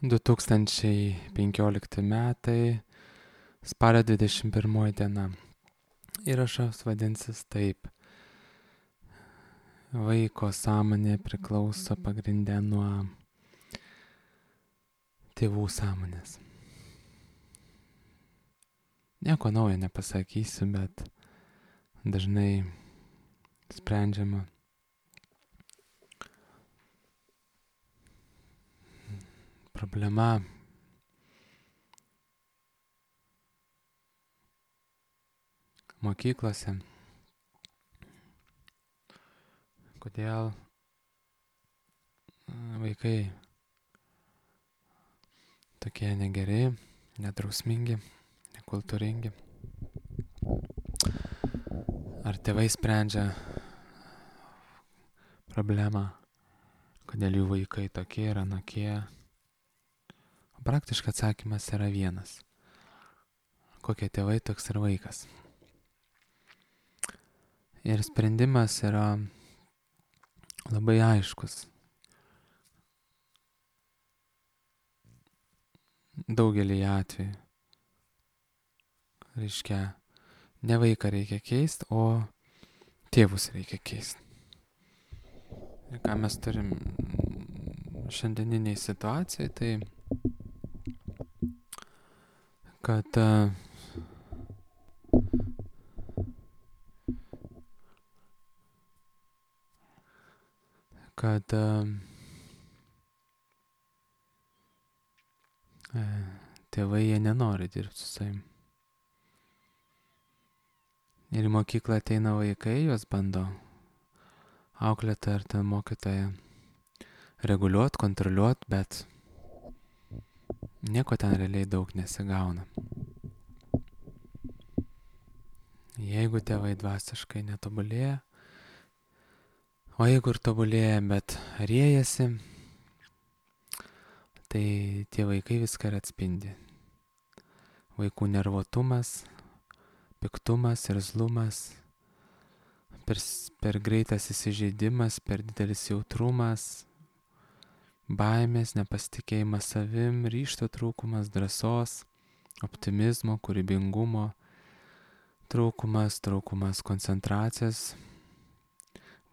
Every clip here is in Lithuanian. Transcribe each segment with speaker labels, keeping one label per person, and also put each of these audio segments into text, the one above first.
Speaker 1: 2015 metai, spalio 21 diena. Įrašas vadinsis taip. Vaiko sąmonė priklauso pagrindę nuo tėvų sąmonės. Nieko naujo nepasakysiu, bet dažnai sprendžiama problema mokyklose. Kodėl vaikai tokie negeri, nedrausmingi, nekultūringi? Ar tėvai sprendžia problemą, kodėl jų vaikai tokie ir anokie? Praktiškai atsakymas yra vienas. Kokie tėvai, toks ir vaikas. Ir sprendimas yra labai aiškus. Daugelį atvejų. Reiškia, ne vaiką reikia keisti, o tėvus reikia keisti. Ir ką mes turim šiandieniniai situacijai, tai kad tėvai jie nenori dirbti su savim. Ir į mokyklą ateina vaikai, juos bando auklėtoja ar ten mokytoja reguliuot, kontroliuot, bet nieko ten realiai daug nesigauna. Jeigu tėvai dvasiškai netobulėja, o jeigu ir tobulėja, bet riejasi, tai tie vaikai viską ir atspindi. Vaikų nervotumas, piktumas, irzlumas, per greitas įsižeidimas, per didelis jautrumas, baimės, nepasitikėjimas savim, ryžto trūkumas, drąsos, optimizmo, kūrybingumo, trūkumas koncentracijos,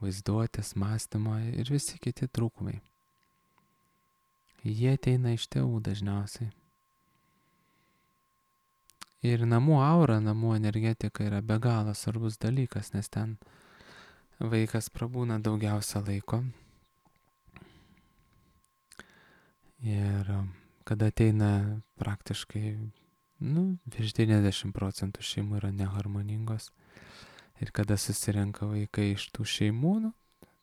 Speaker 1: vaizduotės, mąstymo ir visi kiti trūkumai. Jie ateina iš tėvų dažniausiai. Ir namų aura, namų energetika yra be galo svarbus dalykas, nes ten vaikas prabūna daugiausia laiko. Ir kada ateina praktiškai, virš 90% šeimų yra neharmoningos. Ir kada susirenka vaikai iš tų šeimų,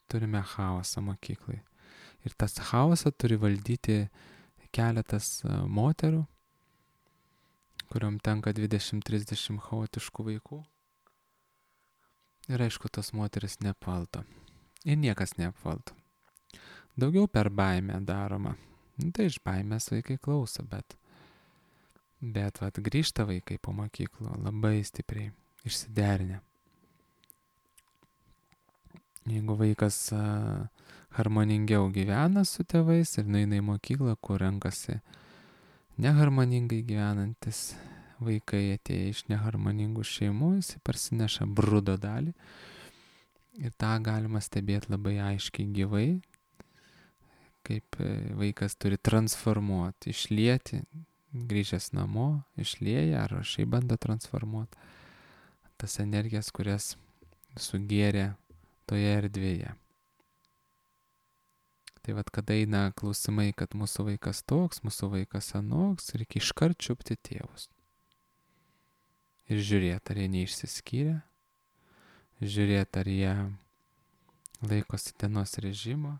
Speaker 1: turime chaosą mokyklai. Ir tas chaosą turi valdyti keletas moterų, kuriom tenka 20-30 chaotiškų vaikų. Ir aišku, tos moteris neapvaldo. Ir niekas neapvaldo. Daugiau per baimę daroma. Tai iš baimės vaikai klauso, bet grįžta vaikai po mokyklų labai stipriai, išsiderinę. Jeigu vaikas harmoningiau gyvena su tėvais ir nueina į mokyklą, kur renkasi neharmoningai gyvenantis vaikai atėję iš neharmoningų šeimų, jis parsineša brudo dalį. Ir tą galima stebėti labai aiškiai gyvai, kaip vaikas turi transformuoti, išlieti, grįžęs namo, išlieja ar šiaip bando transformuoti tas energijas, kurias sugėrė toje erdvėje. Tai kada eina klausimai, kad mūsų vaikas toks, mūsų vaikas anoks, reikia iškart čiupti tėvus. Ir žiūrėti, ar jie neišsiskyrė, žiūrėti, ar jie laikosi dienos režimo,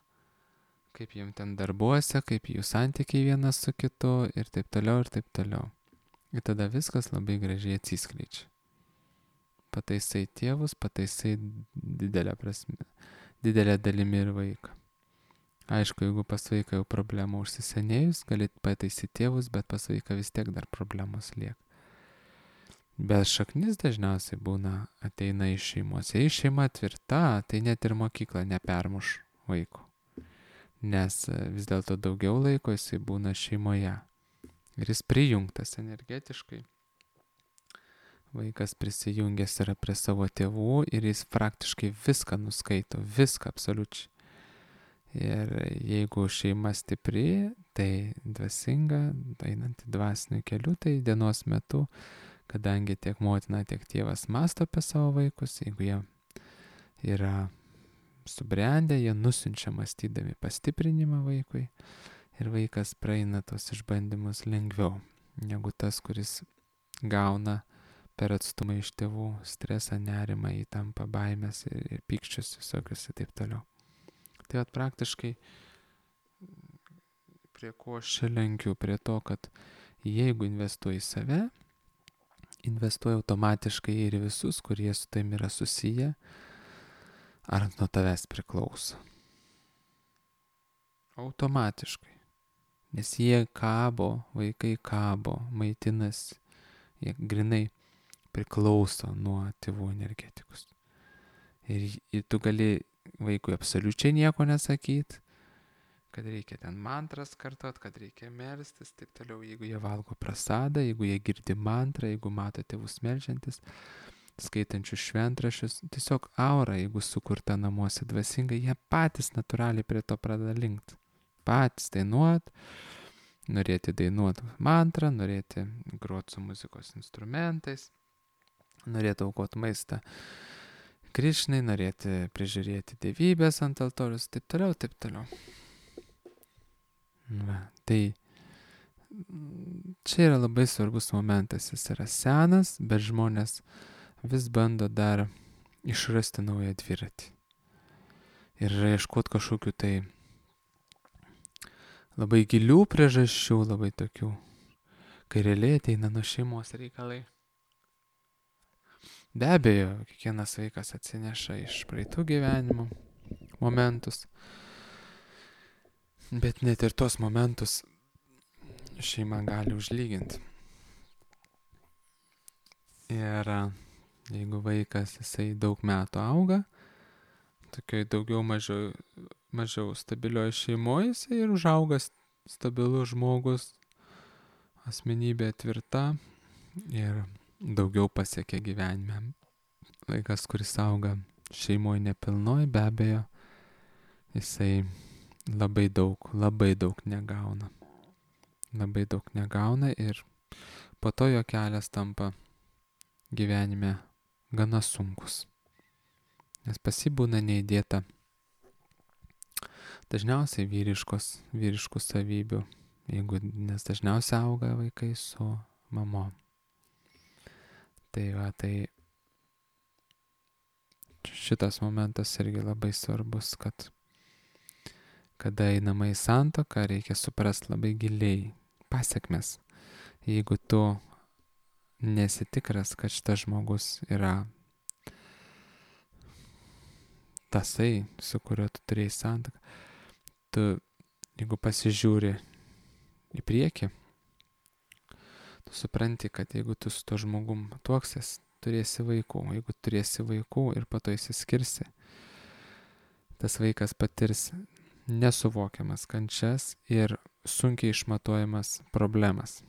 Speaker 1: kaip jiem ten darbuose, kaip jų santykiai vienas su kitu ir taip toliau, ir taip toliau. Ir tada viskas labai gražiai atsiskleidžia. Pataisai tėvus, pataisai didelę dalimi ir vaiką. Aišku, jeigu pas vaiką jau problema užsisenėjus, galit pataisyti tėvus, bet pas vaiką vis tiek dar problemos lieka. Bet šaknis dažniausiai ateina iš šeimos. Jei šeima tvirta, tai net ir mokykla nepermuš vaikų. nes vis dėlto daugiau laiko jisai būna šeimoje. Ir jis prijungtas energetiškai. Vaikas prisijungęs yra prie savo tėvų ir jis praktiškai viską nuskaito, viską absoliučiai. Ir jeigu šeima stipri, tai dvasinga, einant dvasiniu keliu, tai dienos metu, kadangi tiek motina, tiek tėvas mąsto apie savo vaikus, jeigu jie yra subrendę, jie nusiunčia mąstydami pastiprinimą vaikui ir vaikas praeina tos išbandymus lengviau negu tas, kuris gauna per atstumą iš tėvų stresą, nerimą, įtampą, baimės ir pykčius visokius ir taip toliau. Tai praktiškai prie ko aš čia lenkiu, prie to, kad jeigu investuoji į save, investuoji automatiškai ir visus, kurie su taim yra susiję, ar nuo tavęs priklauso. Automatiškai. Nes jie kabo, vaikai kabo, maitinasi, jie grinai priklauso nuo tėvų energetikos. Ir tu gali vaikui absoliučiai nieko nesakyti, kad reikia ten mantras kartot, kad reikia melstis, taip toliau, jeigu jie valgo prasadą, jeigu jie girdi mantrą, jeigu mato tėvus melžiantis, skaitančius šventraščius, tiesiog aura, jeigu sukurta namuose dvasingai, jie patys natūraliai prie to pradeda linkti. Patys dainuot, norėti dainuot mantrą, norėti groti su muzikos instrumentais, norėti aukoti maistą Krišnai, norėti prižiūrėti dievybės ant altorius, taip toliau, taip toliau. Va, tai čia yra labai svarbus momentas, jis yra senas, bet žmonės vis bando dar išrasti naują dviratį. Ir ieškoti kažkokių tai labai gilių priežasčių, labai tokių, kai realiai ateina nuo šeimos reikalai. Be abejo, kiekvienas vaikas atsineša iš praeitų gyvenimų momentus, bet net ir tos momentus šeima gali užlyginti. Ir jeigu vaikas, jisai daug metų auga, tokioj daugiau mažiau stabilioj šeimoje, jisai ir užaugas stabilus žmogus, asmenybė tvirta ir daugiau pasiekia gyvenime. Vaikas, kuris auga šeimoje nepilnoj, be abejo, jisai labai daug negauna. Labai daug negauna ir po to jo kelias tampa gyvenime gana sunkus. Nes pasibūna neįdėta dažniausiai vyriškų savybių, nes dažniausiai auga vaikai su mamom. Tai šitas momentas irgi labai svarbus, kad kada einama į santuoką, reikia suprasti labai giliai pasekmes. Jeigu tu nesi tikras, kad šitas žmogus yra tasai, su kuriuo tu turėjai santuoką, tu, jeigu pasižiūri į priekį, tu supranti, kad jeigu tu su to žmogum tuoksies, turėsi vaikų. Jeigu turėsi vaikų ir po to išsiskirsi, tas vaikas patirs nesuvokiamas kančias ir sunkiai išmatuojamas problemas.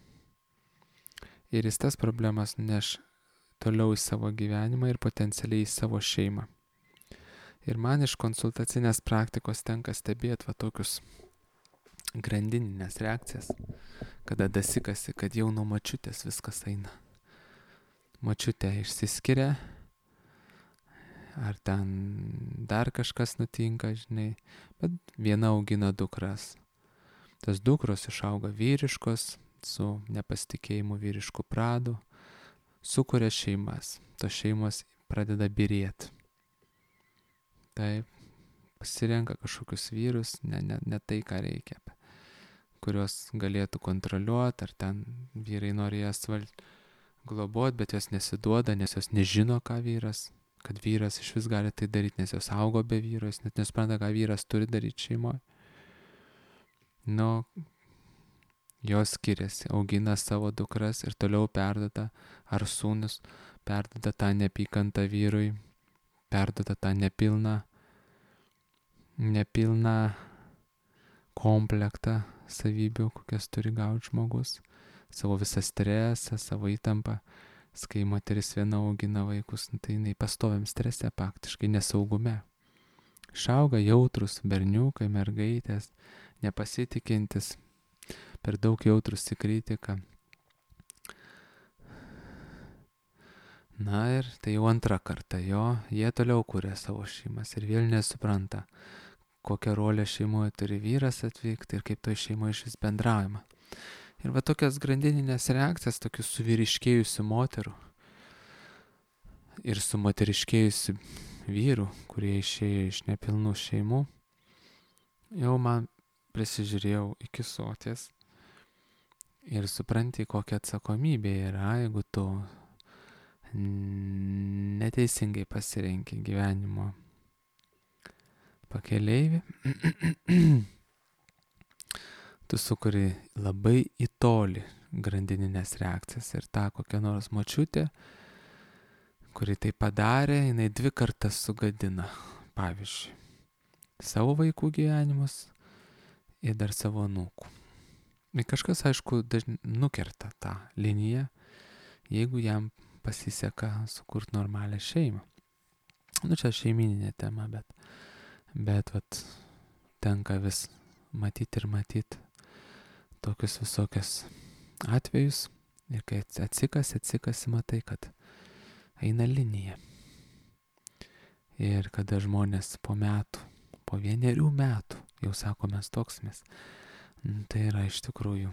Speaker 1: Ir jis tas problemas neš toliau į savo gyvenimą ir potencialiai į savo šeimą. Ir man iš konsultacinės praktikos tenka stebėti tokius grandininės reakcijas, kada dasikasi, kad jau nuo močiutės viskas eina. Močiutė išsiskiria, ar ten dar kažkas nutinka, žinai, bet viena augina dukras. Tas dukros išauga vyriškos, su nepasitikėjimu vyriškų pradu, sukuria šeimas. Tos šeimos pradeda byrėti. Taip, pasirenka kažkokius vyrus, ne tai, ką reikia, kurios galėtų kontroliuoti, ar ten vyrai nori jas globoti, bet jos nesiduoda, nes jos nežino, ką vyras, kad vyras iš vis gali tai daryti, nes jos augo be vyro, jos net nespranta, ką vyras turi daryti šeimoje. Jos skiriasi, augina savo dukras ir toliau perduoda, ar sūnus perduoda tą neapykantą vyrui, perduoda tą nepilną komplektą savybių, kokias turi gauti žmogus, savo visą stresą, savo įtampą. Kai moteris viena augina vaikus, tai jinai pastoviam strese, faktiškai nesaugume. Išauga jautrus berniukai, mergaitės, nepasitikintis, per daug jautrus į kritiką. Na ir tai jau antra karta jie toliau kuria savo šeimas ir vėl nesupranta, kokią rolę šeimoje turi vyras atvykti ir kaip toj šeimoje iš vis bendraujama. Ir va tokias grandininės reakcijas, tokių suvyriškėjusių moterų ir sumoteriškėjusių vyrų, kurie išėjo iš nepilnų šeimų, jau man prisižiūrėjau iki soties ir supranti, kokia atsakomybė yra, jeigu tu neteisingai pasirenki gyvenimo pakeleivį. Tu sukuri labai į tolį grandininės reakcijas ir tą kokią nors močiutę, kuri tai padarė, jinai 2 kartas sugadina, pavyzdžiui, savo vaikų gyvenimus ir dar savo anūkų. Ir kažkas, aišku, nukerta tą liniją, jeigu jam pasiseka sukurti normalią šeimą. Čia šeimininė tema, bet vat, tenka vis matyti ir matyti tokius visokius atvejus ir kai atsikasi, matai, kad eina linija. Ir kada žmonės po 1 metų jau sako, mes toksmės, tai yra iš tikrųjų,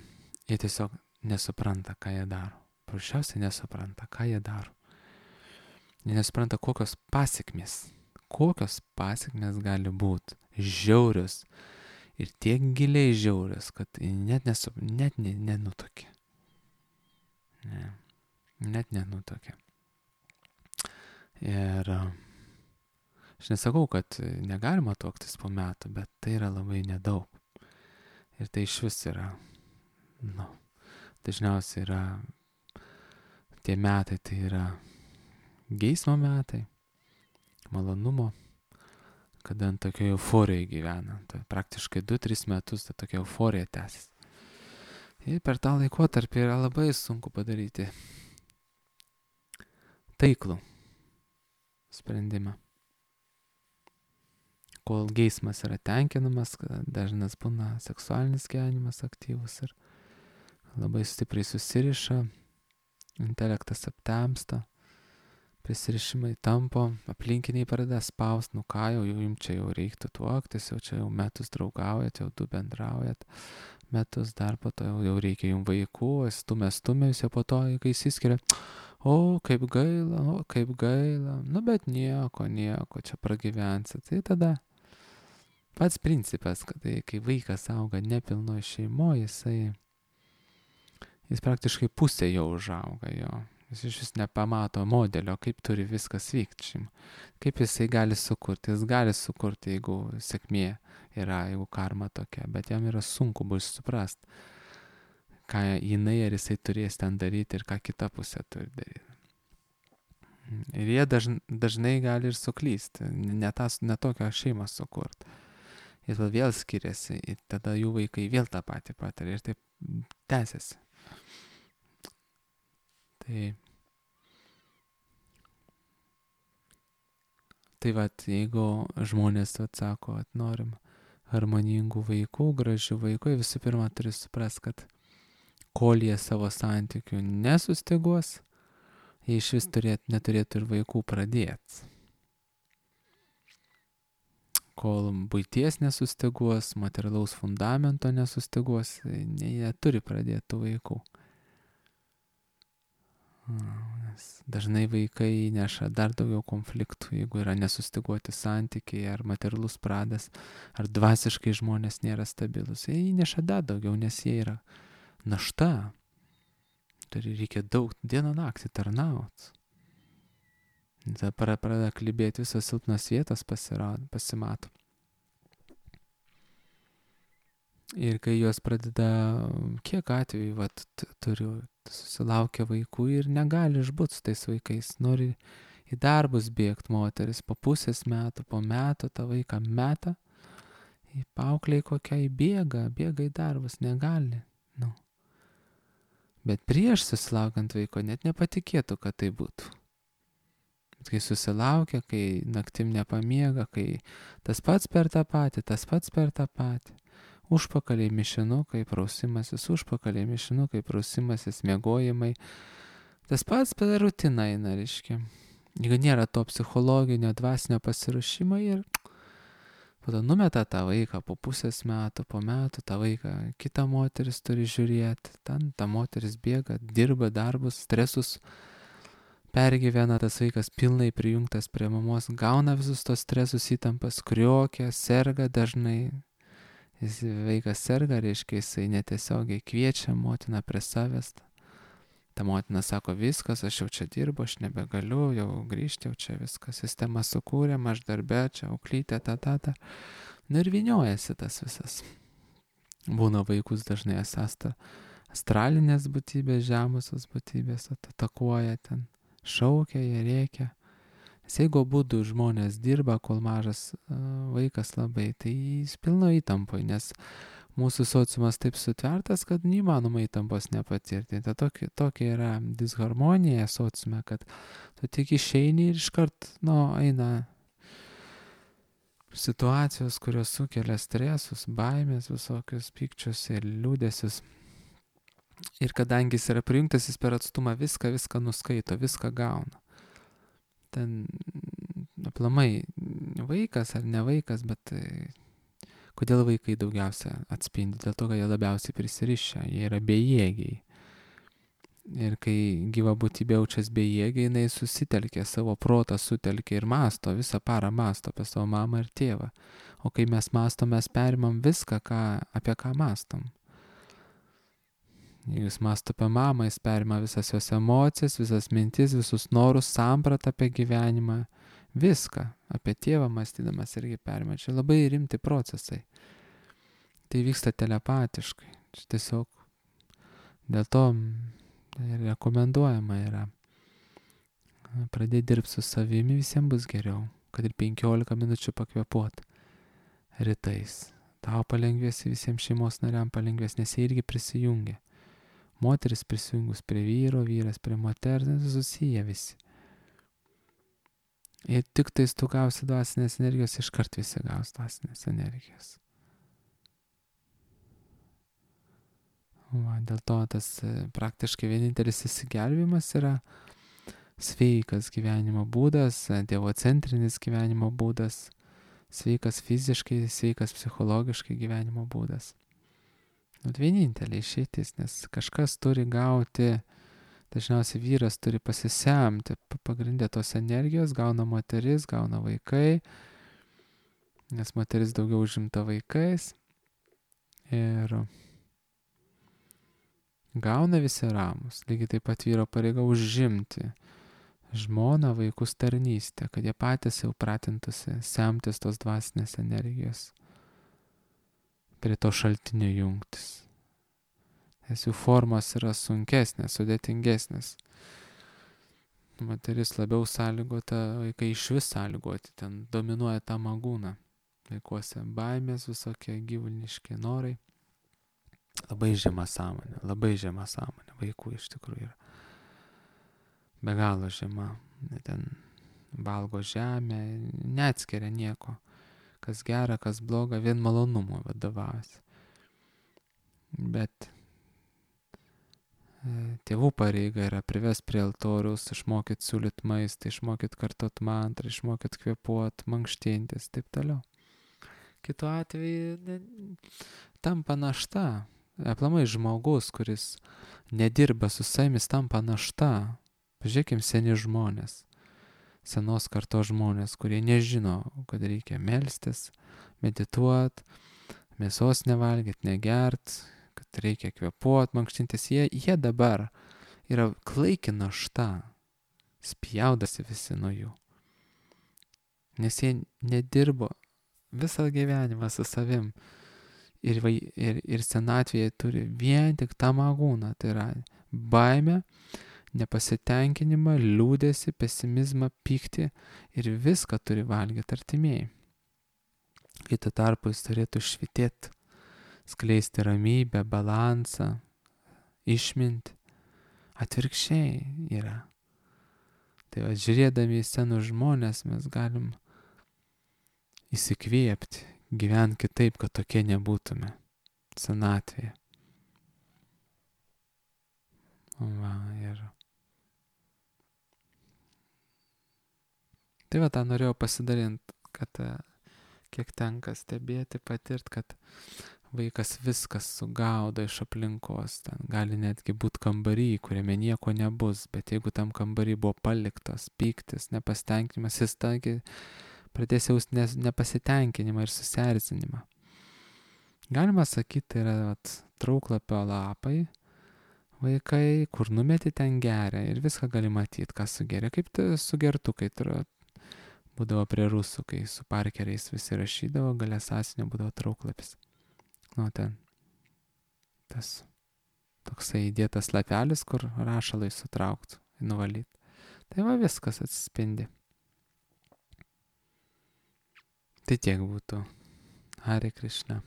Speaker 1: jie tiesiog nesupranta, ką jie daro. Paprasčiausiai nesupranta, ką jie daro. Jie nesupranta, kokios pasekmės gali būti žiaurios ir tiek giliai žiaurios, kad net nenutokė. Net nenutokė. Ir aš nesakau, kad negalima tuoktis po metų, bet tai yra labai nedaug. Ir tai iš vis yra, dažniausiai yra, tie metai tai yra geismo metai, malonumo, kada ant tokio euforijoje gyvena. Tai praktiškai 2-3 metus ta tokia euforija tęsis. Ir per tą laikotarpį yra labai sunku padaryti taiklų sprendimą. Kol geismas yra tenkinamas, dažnas būna seksualinis gyvenimas aktyvus ir labai stipriai susiriša, intelektas aptemsta, prisirišimai tampo, aplinkiniai pradeda spaust, ką jau jums čia jau reiktų tuoktis, jau čia jau metus draugaujat, jau 2 bendraujat, metus dar po to jau reikia jums vaikų, stumia, jūs jau po to, kai įsiskiria, kaip gaila, bet nieko, čia pragyvensit. Tai tada pats principas, kad kai vaikas auga nepilnoje šeimoje, jis praktiškai pusė jau užauga jo. Jis iš vis nepamato modelio, kaip turi viskas vykti šeima. Kaip jisai gali sukurti. Jis gali sukurti, jeigu sėkmė yra, jeigu karma tokia. Bet jam yra sunku bus suprast, ką jinai ar jisai turės ten daryti ir ką kita pusė turi daryti. Ir jie dažnai gali ir suklysti. Ne tokią šeimą sukurti. Jis vėl skiriasi ir tada jų vaikai vėl tą patį patiria ir taip tęsiasi. Tai vat, jeigu žmonės sako, norim harmoningų vaikų, gražių vaikų, visų pirma turi suprast, kad kol jie savo santykių nesustyguos, jie iš vis neturėtų ir vaikų pradėti. Kol buities nesustyguos, materialaus fundamento nesustyguos, jie turi pradėti tų vaikų. Nes dažnai vaikai neša dar daugiau konfliktų, jeigu yra nesustyguoti santykiai, ar materialus pradas, ar dvasiškai žmonės nėra stabilus. Jie neša dar daugiau, nes jie yra našta. Reikia daug dieną naktį tarnauti. Tada pradeda klibėti visos silpnos vietos pasimato. Ir kai jos pradeda, kiek atvejų turiu, susilaukia vaikų ir negali išbūt su tais vaikais, nori į darbus bėgti moteris, po pusės metų, po metų tą vaiką meta paaugliai kokiai bėga į darbus, negali. Nu. Bet prieš susilaukiant vaiko net nepatikėtų, kad tai būtų. Bet kai susilaukia, kai naktim nepamiega, kai tas pats per tą patį. Užpakaliai mišinukai, prausimasis, miegojimai. Tas pats per rutiną eina, reiškia. Jeigu nėra to psichologinio, dvasinio pasiruošimo ir po to numeta tą vaiką po pusės metų, po metų, tą vaiką kita moteris turi žiūrėti, ten ta moteris bėga, dirba darbus, stresus, pergyvena, tas vaikas pilnai prijungtas prie mamos, gauna visus tos stresus, įtampas, kriokia, serga dažnai. Vaikas serga, reiškia, jisai netiesiogiai kviečia motiną prie savęs. Ta motina sako, viskas, aš jau čia dirbu, aš nebegaliu, jau grįžti, jau čia viskas, sistema sukūrėm, aš darbe, čia auklytė, Nu ir vyniojasi tas visas. Būna vaikus dažnai astralinės būtybės, žemusios būtybės, atakuoja ten, šaukia, jie rėkia. Nes jeigu abudu žmonės dirba, kol mažas vaikas labai, tai jis pilno įtampoj, nes mūsų sociumas taip sutvertas, kad neįmanoma įtampos nepatirti. Tai tokia yra disharmonija sociume, kad tu tik išeini ir iškart, eina situacijos, kurios sukelia stresus, baimės, visokius pykčius ir liūdesius. Ir kadangi jis yra prijungtas, jis per atstumą viską nuskaito, viską gauna. Ten aplamai vaikas ar ne vaikas, bet kodėl vaikai daugiausia atspindi? Dėl to, kad jie labiausiai prisirišę, jie yra bejėgiai. Ir kai gyva būtybė jaučiasi bejėgiai, jinai susitelkė, savo protą sutelkė ir masto, visą parą masto apie savo mamą ir tėvą. O kai mes mastom, mes perimam viską, apie ką mastom. Jeigu jis masto apie mamą, jis perima visas jos emocijas, visas mintis, visus norus, sampratą apie gyvenimą, viską apie tėvą mąstydamas irgi perima. Čia labai rimti procesai. Tai vyksta telepatiškai. Čia tiesiog dėl to rekomenduojama yra pradėti dirbti su savimi, visiems bus geriau, kad ir 15 minučių pakvėpuot rytais. Tau palengvės, visiems šeimos nariam palengvės, nes jie irgi prisijungia. Moteris prisijungus prie vyro, vyras prie moters, susiję visi. Ir tik tais tu gausi dvasinės energijos, iškart visi gaus dvasinės energijos. Dėl to tas praktiškai vienintelis įsigelbėjimas yra sveikas gyvenimo būdas, dievocentrinis gyvenimo būdas, sveikas fiziškai, sveikas psichologiškai gyvenimo būdas. Vienintelė išeitis, nes kažkas turi gauti, dažniausiai vyras turi pasisemti pagrindę tos energijos, gauna moteris, gauna vaikai, nes moteris daugiau užimta vaikais ir gauna visi ramus. Lygiai taip pat vyro pareiga užimti žmoną, vaikus tarnystę, kad jie patys jau pratintųsi semtis tos dvasinės energijos, prie to šaltinio jungtis. Nes jų formos yra sunkesnės, sudėtingesnės. Moteris labiau sąlygota, vaikai iš vis sąlygoti, ten dominuoja tą magūną. Vaikuose baimės, visokie gyvuliniški norai. Labai žema sąmonė vaikų iš tikrųjų yra. Be galo žema. Ten valgo žemę, neatskiria nieko. Kas gera, kas bloga, vien malonumu vadovaujasi. Bet tėvų pareiga yra privest prie altoriaus, išmokyt siūlyt maistą, išmokyt kartot mantrą, išmokyt kvėpuot, mankštintis, taip toliau. Kitu atveju tampa našta. Aplamai žmogus, kuris nedirba su saimis, tampa našta. Pažiūrėkim seni žmonės. Senos kartos žmonės, kurie nežino, kad reikia melstis, medituot, mėsos nevalgyt, negert, kad reikia kvėpuot, mankštintis. Jie dabar yra klaiki našta, spjaudasi visi nuo jų. Nes jie nedirbo visą gyvenimą su savim ir senatvėje turi vien tik tą magūną, tai yra baimę, nepasitenkinimą, liūdesį, pesimizmą, pyktį ir viską turi valgyti artimieji. kai tuo tarpu jis turėtų švitėti, skleisti ramybę, balansą, išmintį. Atvirkščiai yra. Tai va, žiūrėdami į senus žmonės mes galim įsikvėpti, gyventi kitaip, kad tokie nebūtume senatvėje. Va, ir tai va, tą norėjau pasidalinti, kad kiek tenka stebėti, patirti, kad vaikas viskas sugaudo iš aplinkos, ten gali netgi būti kambarį, kuriame nieko nebus, bet jeigu tam kambarį buvo paliktas pyktis, nepasitenkinimas, jis taigi pradės jausti nepasitenkinimą ir susierzinimą. Galima sakyti, tai yra trauklapio lapai, vaikai, kur numeti ten geria ir viską gali matyti, ką sugeria, kaip su gertukai būdavo prie rusų, kai su parkeriais visi rašydavo, gale sąsiuvinio būdavo trauklapis. Nu, ten tas toksai įdėtas lapelis, kur rašalai sutrauktų, nuvalyti. Tai va, viskas atsispindi. Tai tiek būtų. Hare Krishna.